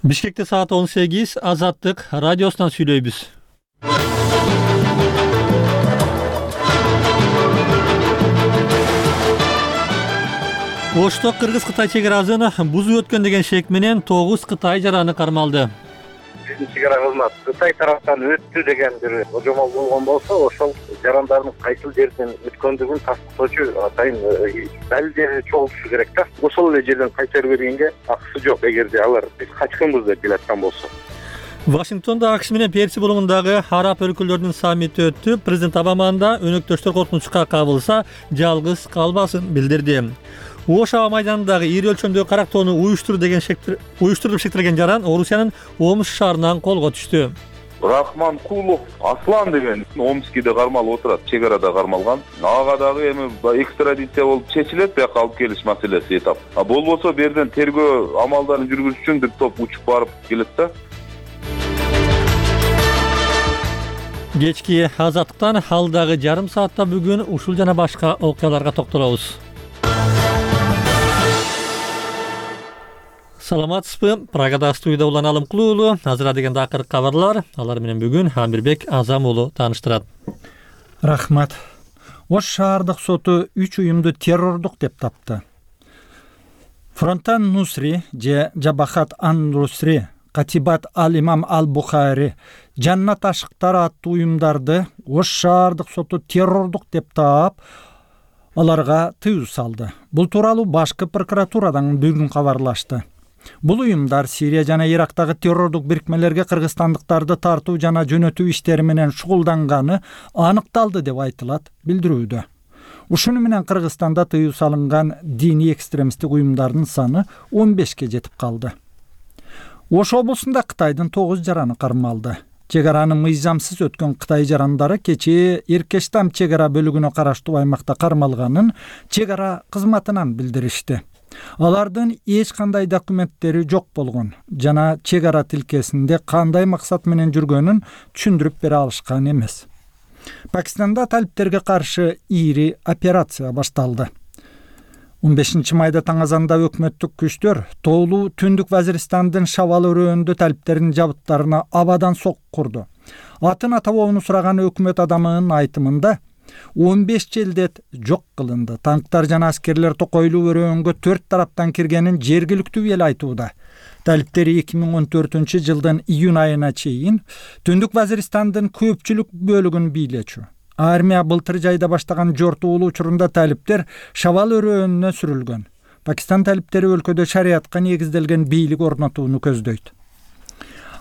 Бишкекте саат 18, Азаттык радиосунан сүйлөйбүз. Ошто Кыргыз-Кытай чек-арасын бузуп өткөн деген шек менен 9 Кытай жараны кармалды. Биздин чек-ара кызмат Кытай тараптан өттү деген бир божомол болгон болсо, ошол жарандардын кайсыл жерден өткөндүгүн тастыктоочу атайын далилдери чогултушу керек да. Ошол эле жерден кайтарып бергенге акысы жок, эгерде алар биз качкынбыз деп келаткан болсо. Вашингтонда АКШ менен Перси булугундагы араб өлкөлөрүнүн саммити өттү. Президент Обаманын да өнөктөштөр коркунучка кабылса, жалгыз калбасын билдирди. Ош аба майданындагы ири өлчөмдөгү карактоону уюштуруп шектелген жаран Орусиянын Омск шаарынан колго түштү. Рахманкулов Аслан деген Омскиде кармалып отурат, чек арада кармалган. Ага дагы эми экстрадиция болуп чечилет, бияка алып келиш маселеси этап. Болбосо берден тергөө амалдарын жүргүзүш үчүн бир топ учуп барып келет да. Кечки Азаттыктан алдагы жарым саатта бүгүн ушул жана башка окуяларга токтолобуз. Саламатсызбы? Прагада студияда Улан Алымкулуу. Азыр дегенде акыркы кабарлар. Алар менен бүгүн Амирбек Азам уулу тааныштырат. Рахмат. Ош шаардык соту 3 уюмду террордук деп тапты. Фронтан Нусри же Жабахат ан-Нусри, Катибат ал-Имам ал-Бухари, Жаннат ашыктары аттуу уюмдарды Ош шаардык соту террордук деп таап, аларга тыюу салды. Бул тууралуу башкы прокуратурадан бүгүн кабарлашты. Бул уюмдар Сирия жана Ирактагы террордук бирикмелерге кыргызстандыктарды тартуу жана жөнөтүү иштери менен шугулданганы аныкталды деп айтылат билдирүүдө. Ушуну менен Кыргызстанда тыюу салынган диний экстремисттик уюмдардын саны 15ке жетип калды. Ош облусунда Кытайдын 9 жараны кармалды. Чек-араны мыйзамсыз өткөн Кытай жарандары кечээ Иркештам чек-ара бөлүгүнө караштуу аймакта кармалганын чек-ара кызматынан билдиришти. Алардын эч кандай документтери жок болгон жана чек-ара тилкесинде кандай максат менен жүргөнүн түшүндүрүп бере алышкан эмес. Пакистанда талиптерге каршы ири операция башталды. 15 майда таң азанда өкмөттүк күчтөр тоолуу Түндүк Вазиристандын Шавал өрөөнүндө талиптердин жабыттарына абадан сок курду. Атын атабоону сураган өкмөт адамынын айтымында 15 желдет жок кылынды. Танктар жана аскерлер токойлуу өрөөнгө 4 тараптан киргенин жергиликтүү эл айтууда. Талиптер 2014 жылдын июнь айына чейин Түндүк Вазиристандын көпчүлүк бөлүгүн бийлечү. Армия былтыр жайда баштаган жортуулуу учурунда талиптер Шавал өрөөнүнө сүрүлгөн. Пакистан талиптери өлкөдө шариятка негизделген бийлик орнотууну көздөйт.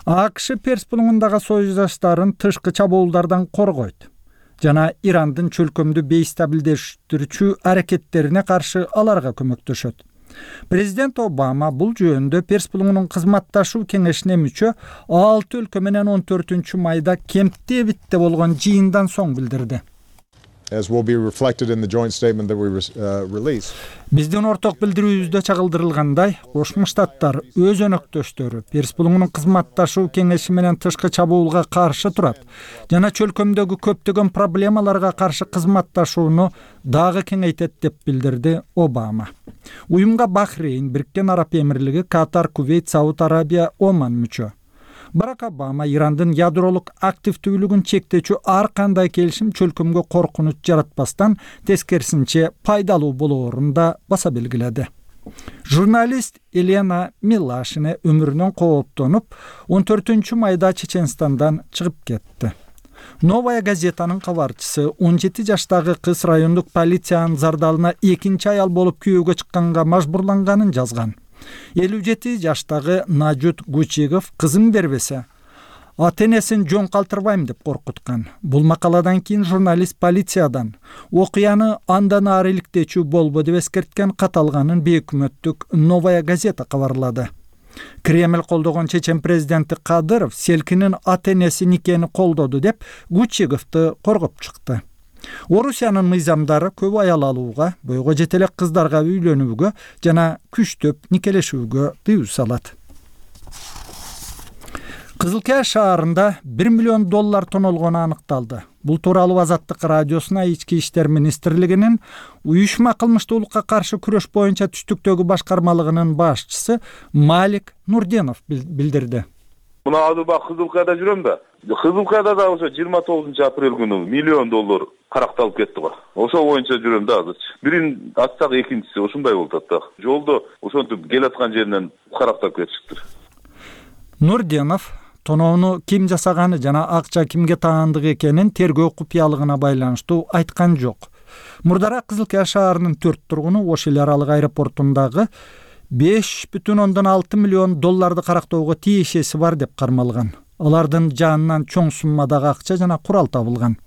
АКШ Перс булугундагы союздаштарын тышкы чабуулдардан коргойт жана Ирандын чөлкөмдү бейстабилдештирүүчү аракеттерине каршы аларга көмөктөшөт. Президент Обама бул жөнүндө Перс булугунун кызматташуу кеңешине мүчө 6 өлкө менен 14 майда Кемптевитте болгон жыйындан соң билдирди. As will be reflected in the joint statement that we release. Биздин орток билдирүүбүздө чагылдырылгандай, Кошмо Штаттар өз өнөктөштөрү Перс булугунун кызматташуу кеңеши менен тышкы чабуулга каршы турат жана чөлкөмдөгү көптөгөн проблемаларга каршы кызматташууну дагы кеңейтет деп билдирди Обама. Уюмга Бахрейн, Бириккен Араб Эмирлиги, Катар, Кувейт, Сауд Арабия, Оман мүчө. Барак Обама Ирандын ядролук активдүүлүгүн чектечү ар кандай келишим чөлкөмгө коркунуч жаратпастан тескерисинче пайдалуу болоорун да баса белгиледи. Журналист Елена Милашина өмүрүнөн кооптонуп 14 майда Чеченстандан чыгып кетти. Новая газетанын кабарчысы 17 жаштагы кыз райондук полициянын зардалына экинчи аял болуп күйөөгө чыкканга мажбурланганын жазган. 57 жаштагы Нажут Гучегов кызын бербесе, ата-энесин жөн калтырбайм деп коркуткан. Бул макаладан кийин журналист полициядан окуяны андан ары иликтечүү болбо деп эскерткен каталганын бейөкмөттүк Новая газета кабарлады. Кремль колдогон чечен президенти Кадыров Селкинин ата-энеси никени колдоду деп Гучеговду коргоп чыкты. Орусиянын мыйзамдары көп аял алууга, бойго жете элек кыздарга үйлөнүүгө жана күчтөп никелешүүгө тыюу салат. Кызыл Кая шаарында $1 миллион тоналгону аныкталды. Бул тууралуу Азаттык радиосуна Ички иштер министрлигинин уюшма кылмыштуулукка каршы күрөш боюнча түштүктөгү башкармалыгынын башчысы Малик Нурденов билдирди. Мына азыр бак Кызыл Каяда жүрөм да. Кызыл Каяда да ошо 29 апрель күнү $1 миллион каракталып кетти го. Ошо боюнча жүрөм да азыр. Бирин ачсак экинчиси ушундай болуп атат да. Жолдо ошентип келаткан жеринен каракталып кетишиптир. Нурденов тоноону ким жасаганы жана акча кимге таандык экенин тергөө купуялыгына байланыштуу айткан жок. Мурдараак Кызыл Кая шаарынын 4 тургуну Ош эл аралык аэропортундагы $5,6 миллион карактоого тиешеси бар деп кармалган. Алардын жанынан чоң суммадагы акча жана курал табылган.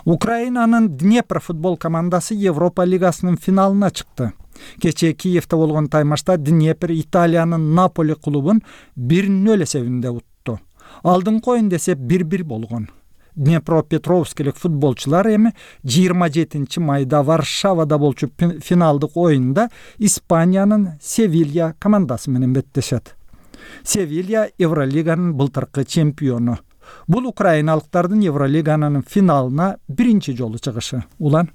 Украинанын Днепр футбол командасы Европа лигасынын финалына чыкты. Кечээ Киевде болгон таймашта Днепр Италиянын Наполи клубун 1-0 эсебинде утту. Алдыңкы оюнда эсеп 1-1 болгон. Днепропетровскилик футболчулар эми 27 майда Варшавада болчу финалдык оюнда Испаниянын Севилья командасы менен беттешет. Севилья Евролиганын былтыркы чемпиону. Бул украиналыктардын Евролиганын финалына биринчи жолу чыгышы. Улан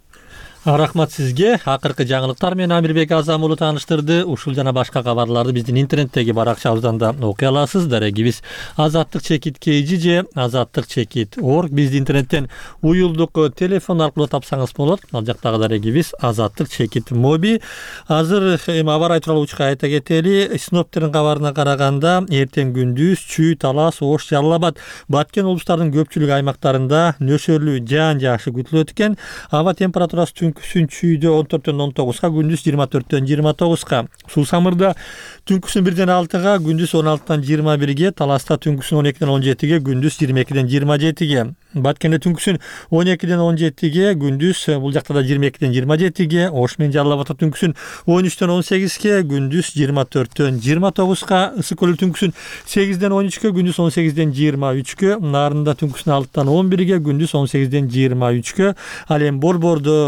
Рахмат сизге. Акыркы жаңылыктар менен Амирбек Азам уулу тааныштырды. Ушул жана башка кабарларды биздин интернеттеги баракчабыздан да окуй аласыз. Дарегибиз Азаттык чекит KG же Азаттык чекит org. Бизди интернеттен уюлдук телефон аркылуу тапсаңыз болот. Ал жактагы дарегибиз Азаттык чекит моби. Азыр аба ырайы тууралуу учка айта кетели. Синоптиктердин кабарына караганда эртең күндүз Чүй, Талас, Ош, Жалал Абад, Баткен облустарынын көпчүлүк аймактарында нөшөрлүү жаан жаашы күтүлөт экен. Аба температурасы түнкүсүн Чүйдө 14-19, күндүз 24-29. Суу Самырда түнкүсүн 1-6, күндүз 16-21, Таласта түнкүсүн 12-17, күндүз 22-27. Баткенде түнкүсүн 12-17, күндүз бул жакта да 22-27. Ош менен Жалал Абадта түнкүсүн 13-18, күндүз 24-29. Ысык көлдө түнкүсүн 8-13, күндүз 18-23. Нарында түнкүсүн 6-11, күндүз 18-23. Ал эми Борбордо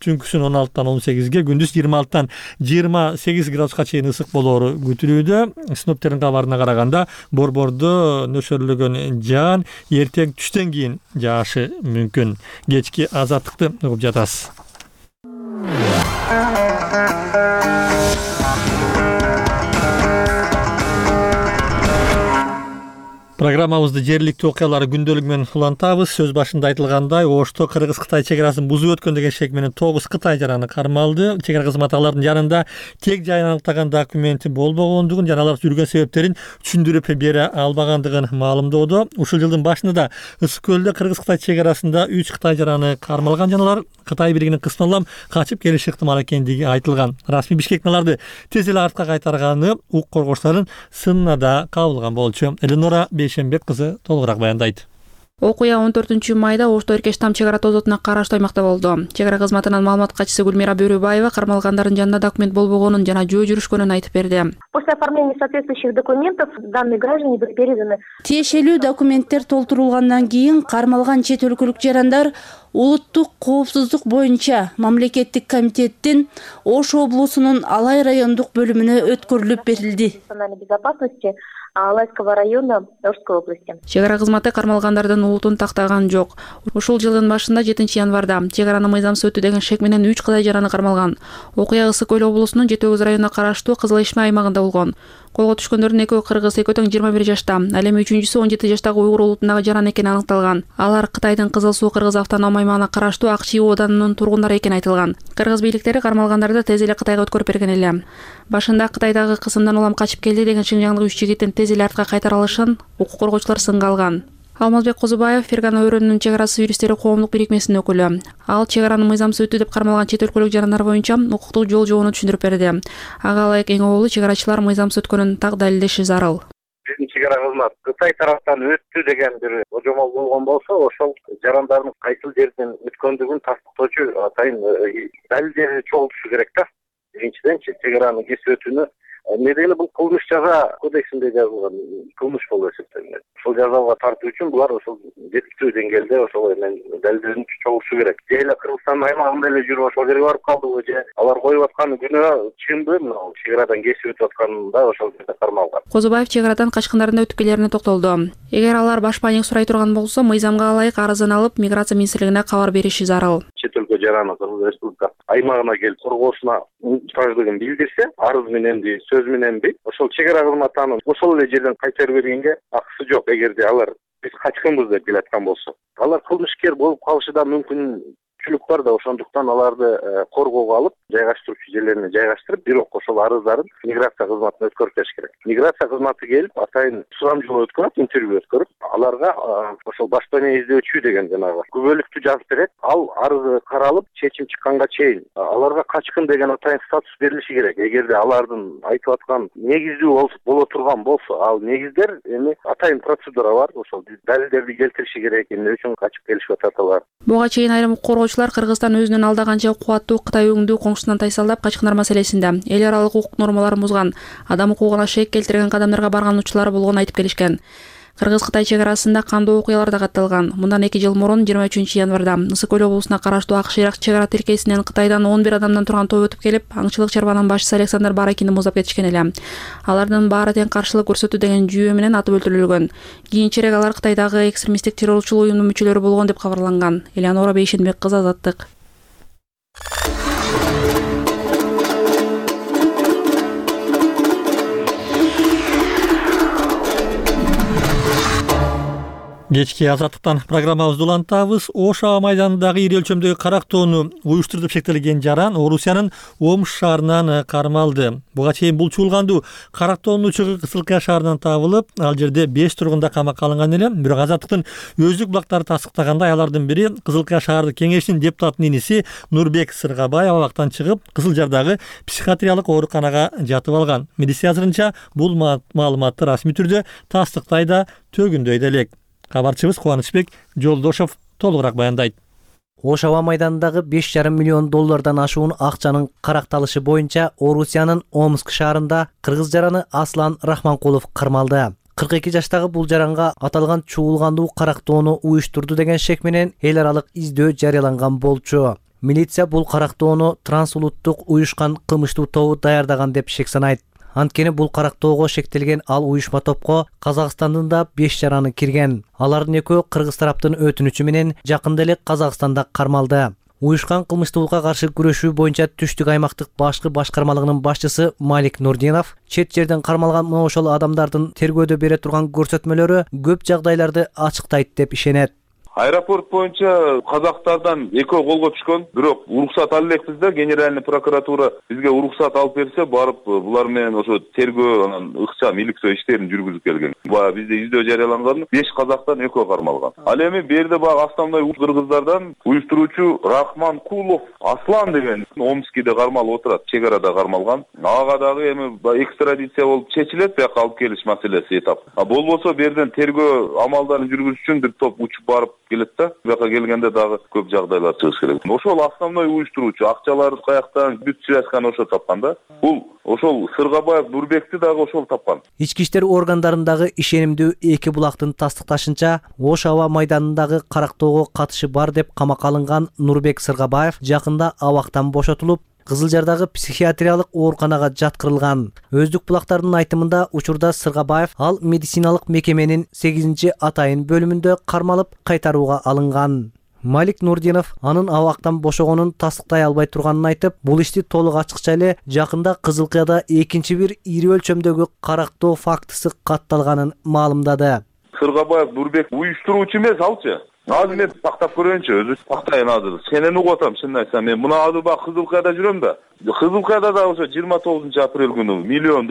түнкүсүн 16-18, күндүз 26-28 градуска чейин ысык болоору күтүлүүдө. Синоптиктердин кабарына караганда Борбордо нөшөрлөгөн жаан эртең түштөн кийин жаашы мүмкүн. Кечки Азаттыкты угуп жатасыз. Программабызды жергиликтүү окуялар күндөлүгү менен улантабыз. Сөз башында айтылгандай, Ошто Кыргыз-Кытай чек арасын бузуп өткөн деген шек менен 9 Кытай жараны кармалды. Чек ара кызматы алардын жанында тек жайын аныктаган документи болбогондугун жана алар жүргөн себептерин түшүндүрүп бере албагандыгын маалымдоодо. Ушул жылдын башында Ысык көлдө Кыргыз-Кытай чек арасында 3 Кытай жараны кармалган жана алар Кытай бийлигинин кысмы улам качып келиши ыктымал экендиги айтылган. Расмий Бишкектин аларды тез эле артка кайтарганы укук коргоочулардын сынына да кабылган болчу. Эленора Бейшенбек кызы толугураак баяндайт. Окуя 14-майда Ошто Эркештам чек ара тозотуна караштуу аймакта болду. Чек ара кызматынын маалымат катчысы Гүлмира Бөрөбаева кармалгандардын жанында документ болбогонун жана жөө жүрүшкөнүн айтып берди. После оформления соответствующих документов данные граждане были переданы. Тиешелүү документтер толтурулгандан кийин кармалган чет өлкөлүк жарандар улуттук коопсуздук боюнча мамлекеттик комитеттин Ош облусунун Алай райондук бөлүмүнө өткөрүлүп берилди. Национальной безопасности Алайского района Ошской области. Чек ара кызматы кармалгандардын улутун тактаган жок. Ушул жылдын башында 7-январда чек араны мыйзамсыз өтүү деген шек менен 3 Кытай жараны кармалган. Окуя Ысык көл облусунун Жети Өгүз районуна караштуу Кызыл Ишме аймагында болгон. Колго түшкөндөрдүн экөө кыргыз, экөө тең 21 жашта. Ал эми үчүнчүсү 17 жаштагы уйгур улутундагы жаран экени аныкталган. Алар Кытайдын Кызыл Суу Кыргыз автоном аймагына караштуу Акчи оданынын тургундары экени айтылган. Кыргыз бийликтери кармалгандарды тез эле Кытайга өткөрүп берген эле. Башында Кытайдагы кысымдан улам качып келди деген Шинжаңдык 3 жигиттин тез эле артка кайтара алышын укук коргоочулар сынга алган. Алмазбек Козубаев Фергана өрөөнүнүн чек арасы юристтери коомдук бирикмесинин өкүлү. Ал чек араны мыйзамсыз өтүү деп кармалган чет өлкөлүк жарандар боюнча укуктук жол жобону түшүндүрүп берди. Ага ылайык эң оболу чек арачылар мыйзамсыз өткөнүн так далилдеши зарыл. Биздин чек ара кызматы Кытай тараптан өттү деген бир божомол болгон болсо, ошол жарандардын кайсыл жерден өткөндүгүн тастыктоочу атайын далилдери чогултушу керек да. Биринчиден чек аранын кесип өтүүнү недени бул кылмыш жаза кодексинде жазылган кылмыш болуп эсептелинет. ушул жазага тартуу үчүн булар ошол жетиштүү деңгээлде ошол эмен далилденүүчү чогулушу керек. Же эле Кыргызстандын аймагында эле жүрүп ошол жерге барып калдыбы, же алар коюп аткан күнөө чынбы, мына чек арадан кесип өтүп атканда ошол жерде кармалган. Козубаев чек арадан качкындардын өтүп келерине токтолду. Эгер алар баш паник сурай турган болсо, мыйзамга ылайык арызын алып, миграция министрлигине кабар бериши зарыл. Чет өлкө жараны Кыргыз Республикасы аймагына келип коргоосуна муктаждыгын билдирсе, арыз мененби, сөз мененби, ошол чек ара кызматы анын ошол эле жерден кайтарып бергенге акысы жок. Эгерде алар биз качкынбыз деп келаткан болсо, алар кылмышкер болуп калышы да мүмкүнчүлүк бар да, ошондуктан аларды коргоого алып, жайгаштыруучу жерлерине жайгаштырып, бирок ошол арыздарын миграция кызматына өткөрүп бериш керек. Миграция кызматы келип, атайын сурамжылоо өткөрүп, интервью өткөрүп, аларга ошол башпана издөөчү деген жанагы күбөлүктү жазып берет. Ал арызы каралып, чечим чыкканга чейин аларга качкын деген атайын статус берилиши керек. Эгерде алардын айтып аткан негиздүү боло турган болсо, ал негиздер эми атайын процедура бар. Ошол далилдерди келтириши керек. Эмне үчүн качып келишип атат алар. Буга чейин айрым коргоочулар Кыргызстан өзүнүн алда канча кубаттуу Кытай өңдүү коңшусунан тайсалдап качкындар маселесинде эл аралык укук нормаларын бузган, адам укугуна шек келтирген кадамдарга барган учурлары болгонун айтып келишкен. Кыргыз-Кытай чек арасында кандуу окуялар да катталган. Мындан 2 жыл мурун 23 январда Ысык көл облусуна караштуу Акшыйрак чек ара тилкесинен Кытайдан 11 адамдан турган топ өтүп келип, аңчылык чарбанын башчысы Александр Баракинди муздап кетишкен эле. Алардын баары тең каршылык көрсөтүү деген жүйө менен атып өлтүрүлгөн. Кийинчерээк алар Кытайдагы экстремисттик террорчул уюмдун мүчөлөрү болгон деп кабарланган. Элеонора Бейшенбек кызы, Азаттык. Кечки Азаттыктан программабызды улантабыз. Ош аба майданындагы ири өлчөмдөгү карактоону уюштуруп шектелген жаран Орусиянын Омск шаарынан кармалды. Буга чейин бул чуулгандуу карактоонуучу Кызылкая шаарынан табылып, ал жерде 5 тургун да камакка алынган эле. Бирок Азаттыктын өздүк булактары тастыктагандай алардын бири Кызылкая шаардык кеңештин депутатынын иниси Нурбек Сыргабаев абактан чыгып, Кызыл Жардагы психиатриялык ооруканага жатып алган. Милиция азырынча бул маалыматты расмий түрдө тастыктай да, төгүндөй да элек. Кабарчыбыз Кубанычбек Жолдошов толугураак баяндайт. Ош аба майданындагы 5,5 миллион доллардан ашуун акчанын каракталышы боюнча Орусиянын Омск шаарында кыргыз жараны Аслан Рахманкулов кармалды. 42 жаштагы бул жаранга аталган чуулгандуу карактоону уюштурду деген шек менен эл аралык издөө жарыяланган болчу. Милиция бул карактоону трансулуттук уюшкан кылмыштуу тобу даярдаган деп шек санайт. Анткени бул карактоого шектелген ал уюшма топко Казакстандын да 5 жараны кирген. Алардын экөө кыргыз тараптын өтүнүчү менен жакында эле Казакстанда кармалды. Уюшкан кылмыштуулукка каршы күрөшүү боюнча Түштүк аймактык башкы башкармалыгынын башчысы Малик Нурдинов чет жерден кармалган ошол адамдардын тергөөдө бере турган көрсөтмөлөрү көп жагдайларды ачыктайт деп ишенет. Аэропорт боюнча казактардан экөө колго түшкөн, бирок уруксат ала элекпиз да, генеральный прокуратура бизге уруксат алып берсе, барып булар менен ошо тергөө, анан ыкчам иликтөө иштерин жүргүзүп келген. Баягы бизде издөө жарыяланган 5 казактан экөө кармалган. Ал эми берде баягы основной кыргыздардан уюштуруучу Рахманкулов Аслан деген Омскиде кармалып отурат, чек арада кармалган. Ага дагы эми экстрадиция болуп чечилет, бияка алып келиш маселеси этап. Болбосо берден тергөө амалдарын жүргүзүш үчүн бир топ учуп барып келет да, бияка келгенде дагы көп жагдайлар чыгыш керек. Ошол основной уюштуруучу, акчаларды каяктан, бүт связканы ошо тапкан да. Бул ошол Сыргабаев Нурбекти дагы ошол тапкан. Ички иштер органдарындагы ишенимдүү эки булактын тастыкташынча, Ош аба майданындагы карактоого катышы бар деп камакка алынган Нурбек Сыргабаев жакында абактан бошотулуп, Кызыл Жардагы психиатриялык ооруканага жаткырылган. Өздүк булактардын айтымында учурда Сыргабаев ал медициналык мекеменин 8-атайын бөлүмүндө кармалып кайтарууга алынган. Малик Нурдинов анын абактан бошогонун тастыктай албай турганын айтып, бул ишти толук ачыкча эле жакында Кызылкаяда экинчи бир ири өлчөмдөгү карактоо фактысы катталганын маалымдады. Сыргабаев Нурбек уюштуруучу эмес алчы. Азыр мен пактап көрөйүнчү, өзү пактайын азыр. Сенени угуп атам, чынын айтсам. Мен мына азыр бак Кызылкаяда жүрөм да. Кызылкаяда да ошо 29 апрель күнү $1 миллион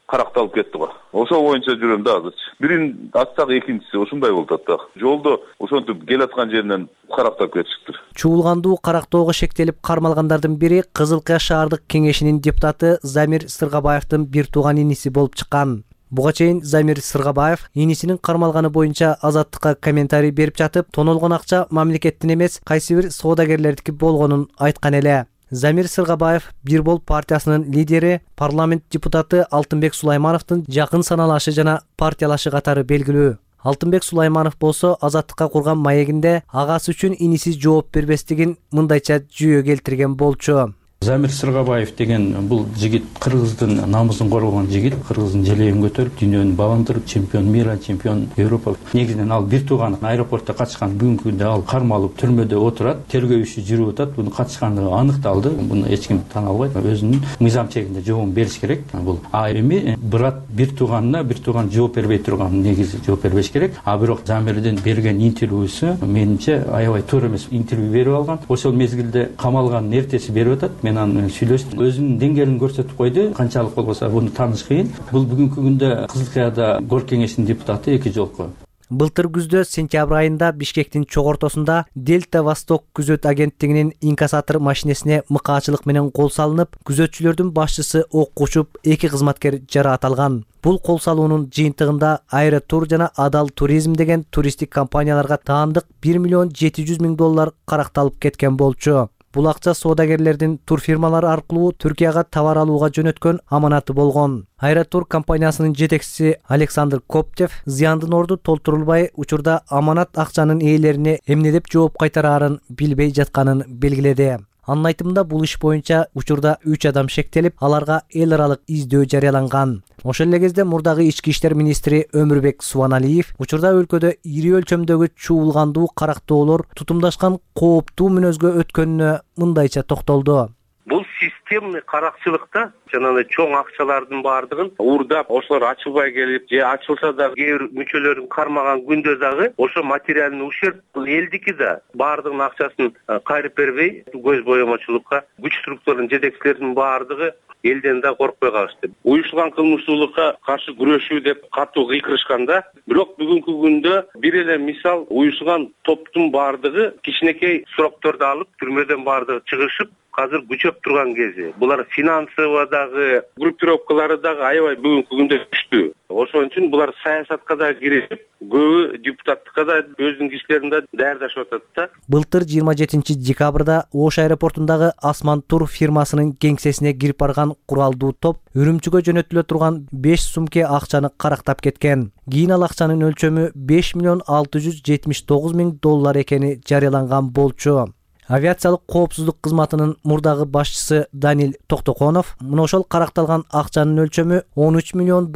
каракталып кетти го. Ошол боюнча жүрөм да азыр. Бирин атсак экинчиси ушундай болуп атат да. Жолдо ошентип келаткан жеринен карактап кетишиптир. Чуулгандуу карактоого шектелип кармалгандардын бири Кызылкая шаардык кеңешинин депутаты Замир Сыргабаевдин бир тууган иниси болуп чыккан. Буга чейин Замир Сыргабаев инисинин кармалганы боюнча Азаттыкка комментарий берип жатып, тонолгон акча мамлекеттин эмес, кайсы бир соодагерлердики болгонун айткан эле. Замир Сыргабаев Бир Бол партиясынын лидери, парламент депутаты Алтынбек Сулаймановдун жакын саналашы жана партиялашы катары белгилүү. Алтынбек Сулайманов болсо Азаттыкка курган маегинде агасы үчүн иниси жооп бербестигин мындайча жүйө келтирген болчу. Замир Сыргабаев деген бул жигит кыргыздын намысын коргогон жигит, кыргыздын желегин көтөрүп, дүйнөнү баамдырып, чемпион мира, чемпион Европа. Негизинен ал бир тууганы аэропортто качкан, бүгүнкү күндө ал кармалып түрмөдө отурат, тергөө иши жүрүп атат. Буну качкандыгы аныкталды. Буну эч ким тана албайт. Өзүнүн мыйзам чегинде жообун бериш керек. Бул эми брат бир тууганына бир тууган жооп бербей турган, негизи жооп бербеш керек. А бирок Замирдин берген интервьюсу менимче аябай туура эмес интервью берип алган. Ошол мезгилде камалганын эртеси берип атат. Мен аны сүйлөштүм. Өзүнүн деңгээлин көрсөтүп койду. Канчалык болбосо буну тааныш кыйын. Бул бүгүнкү күндө Кызыл Кыяда Горк кеңешинин депутаты 2 жолку. Былтыр күздө сентябрь айында Бишкектин чогортосунда Дельта Восток күзөт агенттигинин инкассатор машинесине мыкаачылык менен кол салынып, күзөтчүлөрдүн башчысы окко учуп, 2 кызматкер жараат алган. Бул кол салуунун жыйынтыгында Аэротур жана Адал Туризм деген туристтик компанияларга таандык $1,700,000 каракталып кеткен болчу. Бул акча соодагерлердин турфирмалары аркылуу Түркияга товар алууга жөнөткөн аманаты болгон. Аэротур компаниясынын жетекчиси Александр Коптев зыяндын орду толтурулбай учурда аманат акчанын ээлерине эмне деп жооп кайтараарын билбей жатканын белгиледи. Анын айтымында бул иш боюнча учурда 3 адам шектелип, аларга эл аралык издөө жарыяланган. Ошол эле кезде мурдагы ички иштер министри Өмүрбек Субаналиев учурда өлкөдө ири өлчөмдөгү чуулгандуу карактоолор тутумдашкан кооптуу мүнөзгө өткөнүнө мындайча токтолду. Бул системный каракчылыкта жанагы чоң акчалардын баардыгын уурдап, ошолор ачылбай келип, же ачылса да кээ бир мүчөлөрүн кармаган күндө дагы ошо материальный ущерб элдики да баардыгынын акчасын кайрып бербей, көз боемочулукка күч структураларынын жетекчилеринин баардыгы элден да коркпой калышты. Уюштурулган кылмыштуулукка каршы күрөшүү деп катуу кыйкырышканда, бирок бүгүнкү күндө бир эле мисал уюштурулган топтун баардыгы кичинекей срокторду алып, түрмөдөн баардыгы чыгышып, азыр күчөп турган кези. Булар финансовый дагы, группировкалары дагы аябай бүгүнкү күндө күчтүү. Ошон үчүн булар саясатка да киришип, көбү депутаттыкка да өзүнүн кишилерин да даярдашып атат да. Былтыр 27 декабрда Ош аэропортундагы Асман Тур фирмасынын кеңсесине кирип барган куралдуу топ Үрүмчүгө жөнөтүлө турган 5 сумке акчаны карактап кеткен. Кийин ал акчанын өлчөмү $5,679,000 экени жарыяланган болчу. Авиациялык коопсуздук кызматынын мурдагы башчысы Данил Токтоконов мына ошол каракталган акчанын өлчөмү $13 миллион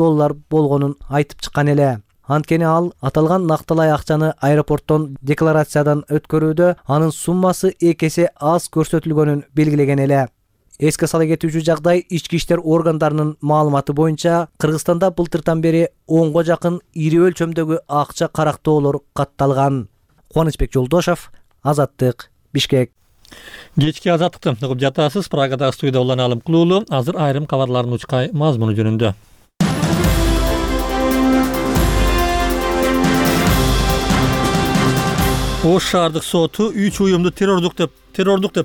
болгонун айтып чыккан эле. Анткени ал аталган накталай акчаны аэропорттон декларациядан өткөрүүдө анын суммасы 2 эсе аз көрсөтүлгөнүн белгилеген эле. Эске сала кетүүчү жагдай, ички иштер органдарынын маалыматы боюнча Кыргызстанда былтыртан бери 10го жакын ири өлчөмдөгү акча карактоолор катталган. Кубанычбек Жолдошов, Азаттык, Бишкек. Кечки Азаттыкты угуп жатасыз. Прагадагы студияда Улан Алым Кулуулу азыр айрым кабарлардын учкай мазмуну жөнүндө. Ош шаардык соту 3 уюмду террордук деп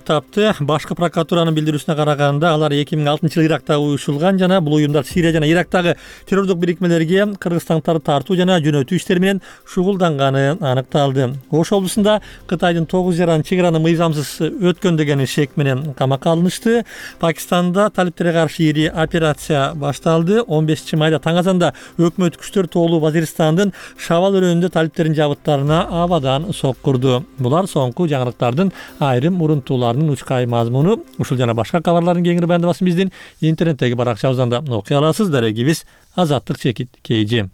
тапты. Башкы прокуратуранын билдирүүсүнө караганда, алар 2006-жылы Ирактагы уюшулган жана бул уюмдар Сирия жана Ирактагы террордук бирикмелерге кыргызстандыктарды тартуу жана жөнөтүү иштери менен шугулданганы аныкталды. Ош облусунда Кытайдын 9 жаран чек араны мыйзамсыз өткөн деген шек менен камакка алынышты. Пакистанда талиптерге каршы ири операция башталды. 15-майда таң азанда өкмөт күчтөр тоолуу Вазиристандын Шавал өрөөнүндө талиптердин жабыттарына абадан соккурду. Булар соңку жаңылыктардын айрым урунтууларынын учкай мазмуну. Ушул жана башка кабарлардын кеңири баяндамасын биздин интернеттеги баракчабыздан да окуй аласыз. Дарегибиз Азаттык чекит KG.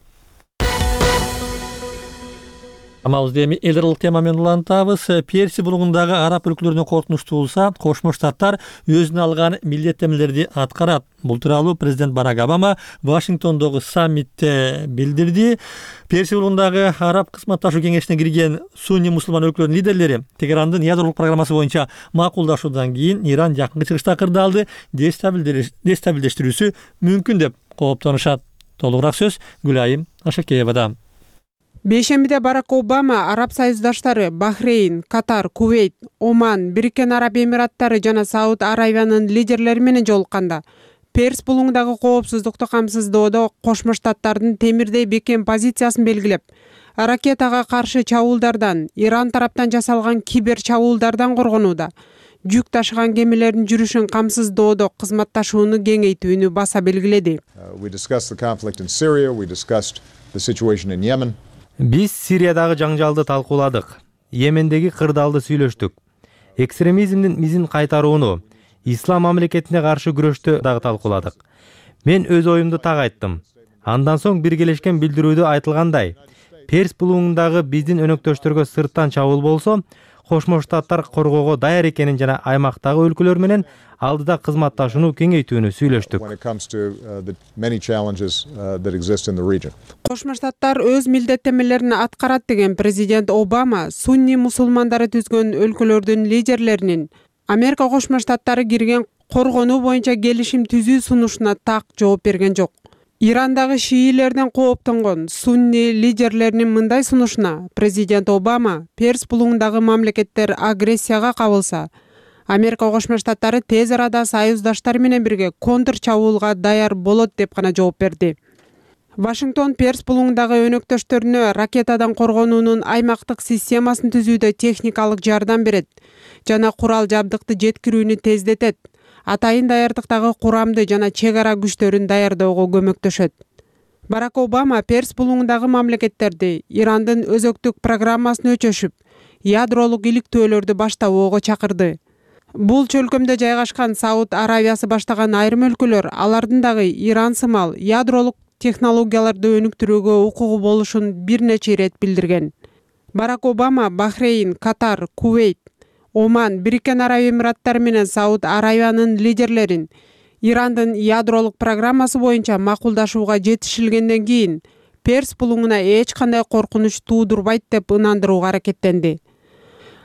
Амалыбызды эми эл аралык тема менен улантабыз. Перси булугундагы араб өлкөлөрүнө коркунучтуу болсо, Кошмо Штаттар өзүнө алган милдеттенмелерди аткарат. Бул тууралуу президент Барак Обама Вашингтондогу саммитте билдирди. Перси булугундагы араб кызматташуу кеңешине кирген сунни мусулман өлкөлөрдүн лидерлери Тегерандын ядеролук программасы боюнча макулдашуудан кийин Иран жакынкы чыгышта кырдаалды дестабилдештирүүсү мүмкүн деп кооптонушат. Толугураак сөз Гүлайым Ашакеевада. Бейшембиде Барак Обама араб союздаштары Бахрейн, Катар, Кувейт, Оман, Бириккен Араб Эмираттары жана Сауд Аравиянын лидерлери менен жолукканда Перс булуңдагы коопсуздукту камсыздоодо Кошмо Штаттардын темирдей бекем позициясын белгилеп, ракетага каршы чабуулдардан, Иран тараптан жасалган кибер чабуулдардан коргонууда, жүк ташыган кемелердин жүрүшүн камсыздоодо кызматташууну кеңейтүүнү баса белгиледи. We discussed the conflict in Syria, we discussed the situation in Yemen. Биз Сириядагы жаңжалды талкууладык. Йемендеги кырдаалды сүйлөштүк. Экстремизмдин мизин кайтарууну, ислам мамлекетине каршы күрөштү дагы талкууладык. Мен өз оюмду так айттым. Андан соң биргелешкен билдирүүдө айтылгандай, Перс булуңундагы биздин өнөктөштөргө сырттан чабуул болсо, Кошмо Штаттар коргоого даяр экенин жана аймактагы өлкөлөр менен алдыда кызматташууну кеңейтүүнү сүйлөштүк. Кошмо Штаттар өз милдеттенмелерин аткарат деген президент Обама сунни мусулмандары түзгөн өлкөлөрдүн лидерлеринин Америка Кошмо Штаттары кирген коргонуу боюнча келишим түзүү сунушуна так жооп берген жок. Ирандагы шиилерден кооптонгон сунни лидерлеринин мындай сунушуна президент Обама Перс булуңундагы мамлекеттер агрессияга кабылса, Америка Кошмо Штаттары тез арада союздаштары менен бирге контр чабуулга даяр болот деп гана жооп берди. Вашингтон Перс булуңундагы өнөктөштөрүнө ракетадан коргонуунун аймактык системасын түзүүдө техникалык жардам берет жана курал жабдыкты жеткирүүнү тездетет. Атайын даярдыктагы курамды жана чек ара күчтөрүн даярдоого көмөктөшөт. Барак Обама Перс булуңундагы мамлекеттерди Ирандын өзөктүк программасын өчөшүп, ядролук иликтөөлөрдү баштабоого чакырды. Бул чөлкөмдө жайгашкан Сауд Аравиясы баштаган айрым өлкөлөр алардын дагы Иран сымал ядролук технологияларды өнүктүрүүгө укугу болушун бир нече ирет билдирген. Барак Обама Бахрейн, Катар, Кувейт, Оман, Бириккен Араб Эмираттары менен Сауд Аравиянын лидерлерин Ирандын ядролук программасы боюнча макулдашууга жетишилгенден кийин Перс булуңуна эч кандай коркунуч туудурбайт деп ынандырууга аракеттенди.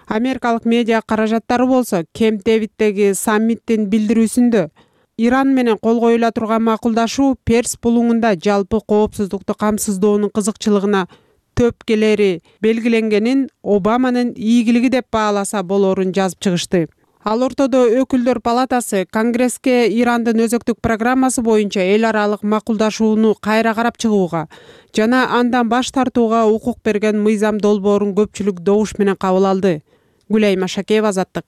Америкалык медиа каражаттары болсо Кемп Дэвиддеги саммиттин билдирүүсүндө Иран менен кол коюла турган макулдашуу Перс булуңунда жалпы коопсуздукту камсыздоонун кызыкчылыгына төпкелери белгиленгенин Обаманын ийгилиги деп бааласа болорун жазып чыгышты. Ал ортодо өкүлдөр палатасы Конгресске Ирандын өзөктүк программасы боюнча эл аралык макулдашууну кайра карап чыгууга жана андан баш тартууга укук берген мыйзам долбоорун көпчүлүк добуш менен кабыл алды. Гүлайым Ашакеева, Азаттык.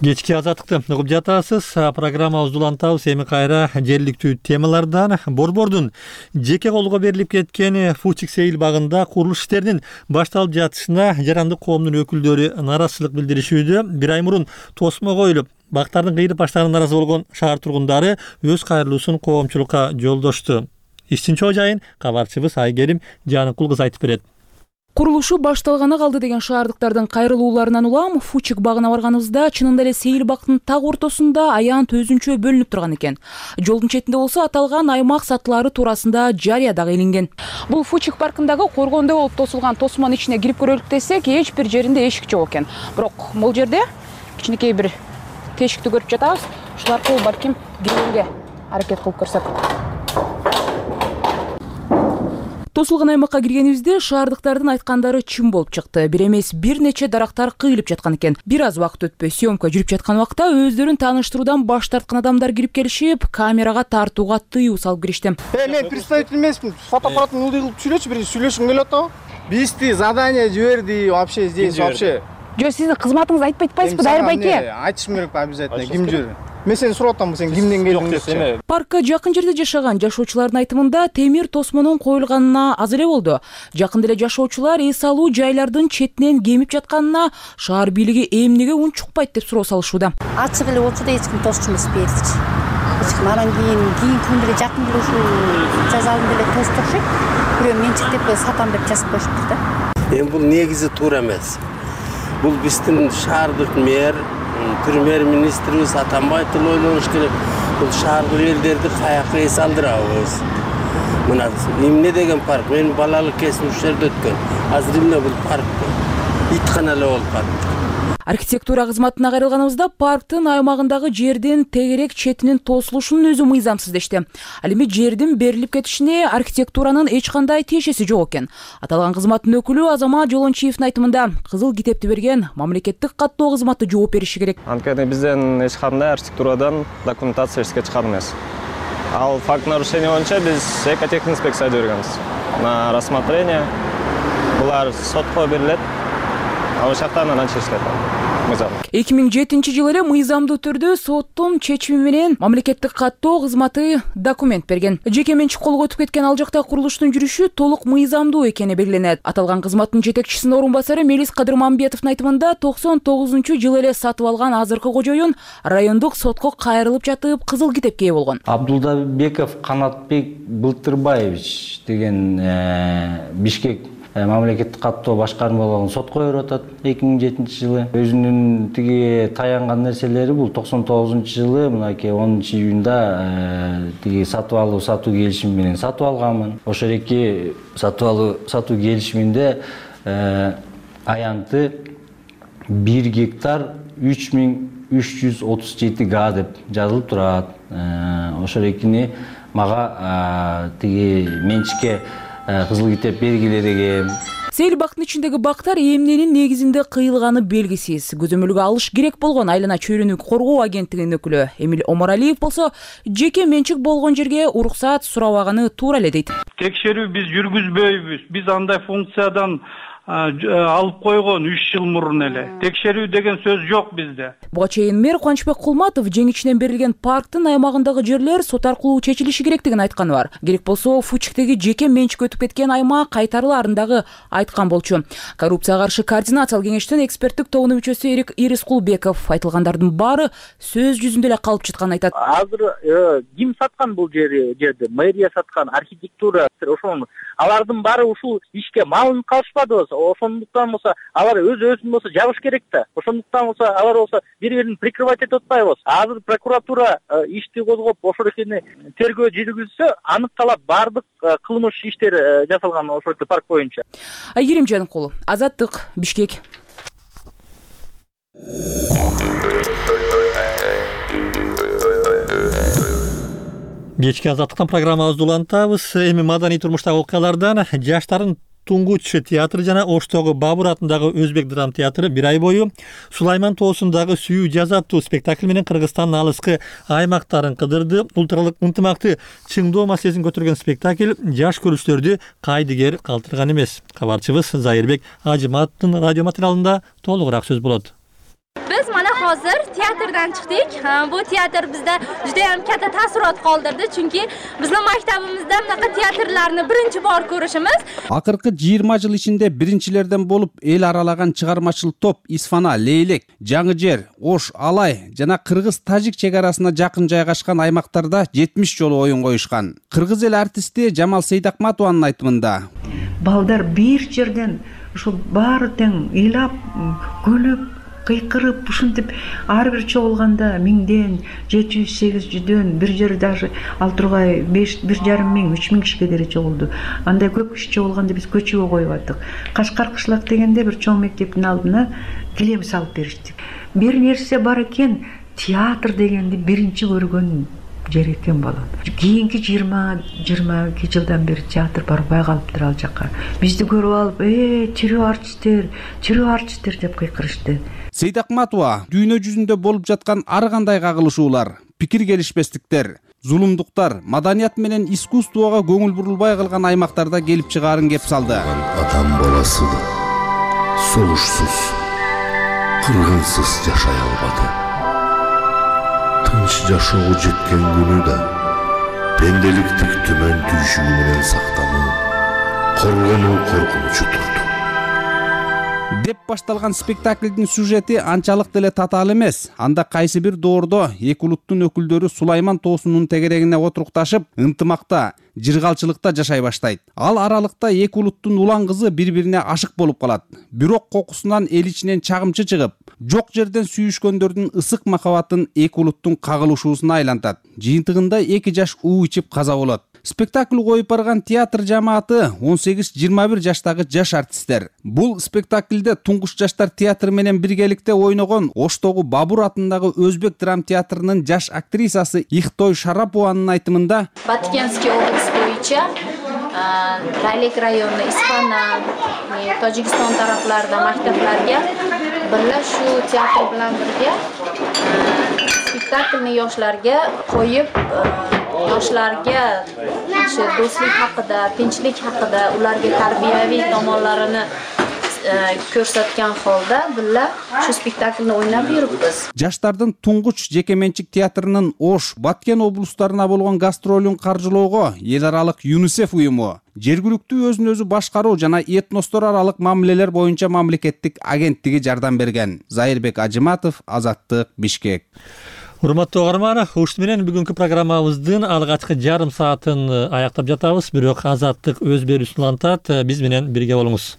Кечки Азаттыкты угуп жатасыз. Программабызды улантабыз эми кайра жергиликтүү темалардан. Борбордун жеке колго берилип кеткен Фучик Сейил багында курулуш иштеринин башталып жатышына жарандык коомдун өкүлдөрү нааразычылык билдиришүүдө. Бир ай мурун тосмо коюлуп, бактардын кыйылып баштаганына нааразы болгон шаар тургундары өз кайрылуусун коомчулукка жолдошту. Иштин чоо жайын кабарчыбыз Айгерим Жаныкул кыз айтып берет. Курулушу башталганы калды деген шаардыктардын кайрылууларынан улам Фучик багына барганыбызда чынында эле Сейил бактын так ортосунда аянт өзүнчө бөлүнүп турган экен. Жолдун четинде болсо аталган аймак сатылары туурасында жарыя дагы илинген. Бул Фучик паркындагы коргондо болуп тосулган тосмонун ичине кирип көрөлүк десек, эч бир жеринде эшик жок экен. Бирок бул жерде кичинекей бир тешикти көрүп жатабыз. Ушул аркылуу балким кирүүгө аракет кылып көрсөк. Тосулган аймакка киргенибизде шаардыктардын айткандары чын болуп чыкты. Бир эмес бир нече дарактар кыйылып жаткан экен. Бир аз убакыт өтпөй съемка жүрүп жаткан убакта өздөрүн тааныштыруудан баш тарткан адамдар кирип келишип, камерага тартууга тыюу салып киришти. Мен представитель эмесмин. Фотоаппаратын ылдый кылып сүйлөчү, бир сүйлөшкүм келип атабы? Бизди задание жиберди вообще здесь вообще. Жок, сиздин кызматыңызды айтпайт атпайсызбы, Дайыр байке? Айтышым керек обязательно. Ким жиберди? Мен сени сурап атам, сен кимден келдиң депчи. Паркка жакын жерде жашаган жашоочулардын айтымында темир тосмонун коюлганына аз эле болду. Жакында эле жашоочулар эс алуу жайлардын четинен кемип жатканына шаар бийлиги эмнеге үн чукпайт деп суроо салышууда. Ачык эле болчу да эч ким тосчу эмес берчи. Эч ким анан кийин күн деле жакын деле ушул жазалын деле тостук окшойт. Бирөө менчиктеп сатам деп жазып коюштур да. Эми бул негизи туура эмес. Бул биздин шаардык мэр, премьер-министрибиз Атамбаевдин ойлонуш керек. Бул шаардык элдерди каяка эс алдырабыз. Мына эмне деген парк? Мен балалык кезим ушул жерде өткөн. Азыр эмне бул парк? Иткана эле болуп калды. Архитектура кызматына кайрылганыбызда парктын аймагындагы жердин тегерек четинин тосулушунун өзү мыйзамсыз дешти. Ал эми жердин берилип кетишине архитектуранын эч кандай тиешеси жок экен. Аталган кызматтын өкүлү Азамат Жолончиевдин айтымында кызыл китепти берген мамлекеттик каттоо кызматы жооп бериши керек. Анткени бизден эч кандай архитектурадан документация эске чыккан эмес. Ал факт нарушения боюнча биз экотехинспекцияга жибергенбиз. На рассмотрение булар сотко берилет. Ал жактан анан чечилет. мыйзам. 2007 жылы эле мыйзамдуу түрдө соттун чечими менен мамлекеттик каттоо кызматы документ берген. Жеке менчик колго өтүп кеткен ал жакта курулуштун жүрүшү толук мыйзамдуу экени белгиленет. Аталган кызматтын жетекчисинин орун басары Мелис Кадырмамбетовдун айтымында 99-жылы эле сатып алган азыркы кожоюн райондук сотко кайрылып жатып кызыл китепке ээ болгон. Абдулдабеков Канатбек Былтырбаевич деген Бишкек мамлекеттик каттоо башкармалыгын сотко берип атат 2007 жылы. Өзүнүн тиги таянган нерселери бул 99-жылы мынакей 10-июнда тиги сатуу келишими менен сатып алганмын. Ошол эки сатуу келишиминде аянты 1 гектар 3337 га деп жазылып турат. Ошол экини мага тиги менчикке кызыл китеп бергилерге. Сейил бактын ичиндеги бактар эмненин негизинде кыйылганы белгисиз. Көзөмөлгө алыш керек болгон Айлана чөйрөнү коргоо агенттигинин өкүлү Эмил Омаралиев болсо жеке менчик болгон жерге уруксаат сурабаганы туура эле дейт. Текшерүү биз жүргүзбөйбүз. Биз андай функциядан алып койгон 3 жыл мурун эле. Текшерүү деген сөз жок бизде. Буга чейин мэр Кубанычбек Кулматов жеңичинен берилген парктын аймагындагы жерлер сот аркылуу чечилиши керектигин айтканы бар. Керек болсо Фучиктеги жеке менчик өтүп кеткен аймак кайтарыларын дагы айткан болчу. Коррупцияга каршы координациялык кеңештин эксперттик тобунун мүчөсү Ирис Кулбеков айтылгандардын баары сөз жүзүндө эле калып жатканын айтат. Азыр ким саткан бул жерди? Мэрия саткан, архитектура, ошол алардын баары ушул ишке малынып калышпадыбы? Ошондуктан болсо алар өзүн болсо жабыш керек да. Ошондуктан болсо алар болсо бири-бирин прикрывать этип атпайбыз. Азыр прокуратура ишти козгоп ошол экени тергөө жүргүзсө, аныкталат баардык кылмыш иштер жасалган ошол парк боюнча. Айгерим Жаныкулов, Азаттык, Бишкек. Кечки Азаттыктан программабызды улантабыз. Эми маданий турмуштагы окуялардан жаштардын Тунгуч театры жана Оштогу Бабур атындагы Өзбек драм театры бир ай бою Сулайман тоосундагы сүйүү жаз аттуу спектакль менен Кыргызстандын алыскы аймактарын кыдырды. Улуттаралык ынтымакты чыңдоо маселесин көтөргөн спектакль жаш көрүүчүлөрдү кайдыгер калтырган эмес. Кабарчыбыз Зайырбек Ажыматтын радио материалында толугураак сөз болот. Biz mana hozir teatrdan chiqdik. Bu teatr bizda juda ham katta taassurot qoldirdi, chunki bizning maktabimizda bunaqa teatrlarni birinchi bor ko'rishimiz. Акыркы 20 жыл ичинде биринчилерден болуп эл аралаган чыгармачыл топ Исфана, Лейлек, Жаңы жер, Ош, Алай жана кыргыз-тажик чек арасына жакын жайгашкан аймактарда 70 жолу оюн коюшкан. Кыргыз эл артисти Жамал Сейдакматованын айтымында балдар бир жерден ушул баары тең ыйлап, күлүп, кыйкырып ушинтип ар бир чогулганда 1000ден 700-800дөн бир жер даже ал тургай 5,5 миң 3 миң кишиге деле чогулду. Андай көп киши чогулганда биз көчөгө коюп аттык. Кашкар кышлак дегенде бир чоң мектептин алдына килем салып бериштик. Бир нерсе бар экен, театр дегенди биринчи көргөн жер экен балам. Кийинки 20-22 жылдан бери театр барбай калыптыр ал жакка. Бизди көрүп алып, тирүү артисттер деп кыйкырышты. Сейдакматова дүйнө жүзүндө болуп жаткан ар кандай кагылышуулар, пикир келишпестиктер, зулумдуктар, маданият менен искусствого көңүл бурулбай калган аймактарда келип чыгаарын кеп салды. Адам баласы согушсуз, кыргынсыз жашай албады. Тынч жашоого жеткен күнү да пенделиктик түмөн түйшүгү менен сактануу, коргонуу коркунучу турду. Деп башталган спектаклдин сюжети анчалык деле татаал эмес. Анда кайсы бир доордо эки улуттун өкүлдөрү Сулайман тоосунун тегерегине отурукташып, ынтымакта, жыргалчылыкта жашай баштайт. Ал аралыкта эки улуттун улан кызы бири-бирине ашык болуп калат. Бирок кокусунан эл ичинен чагымчы чыгып, жок жерден сүйүшкөндөрдүн ысык махабатын эки улуттун кагылышуусуна айлантат. Жыйынтыгында эки жаш уу ичип каза болот. Спектакль коюп барган театр жамааты 18-21 жаштагы жаш артисттер. Бул спектакльде туңгуч жаштар театры менен биргеликте ойногон Оштогу Бабур атындагы Өзбек драм театрынын жаш актрисасы Ихтой Шарапованын айтымында Баткенский область боюнча Райлек району Исфана, Tojikiston тарапларда мактапларга бирga shu teatr bilan birga spektaklni yoshlarga qo'yib, yoshlarga shu do'stlik haqida, tinchlik haqida, ularga tarbiyaviy tomonlarini көрсөткөн холда бilla şu spektaklni ойнап жүрүпбүз. Жаштардын туңгуч жеке менчик театрынын Ош, Баткен облустарына болгон гастролун каржылоого эл аралык ЮНИСЕФ уюму, жергиликтүү өзүн өзү башкаруу жана этностор аралык мамилелер боюнча мамлекеттик агенттиги жардам берген. Зайырбек Ажыматов, Азаттык, Бишкек. Урматтуу угарман, ушул менен бүгүнкү программабыздын алгачкы жарым саатын аяктап жатабыз. Бирок Азаттык өз берүүсүн улантат. Биз менен бирге болуңуз.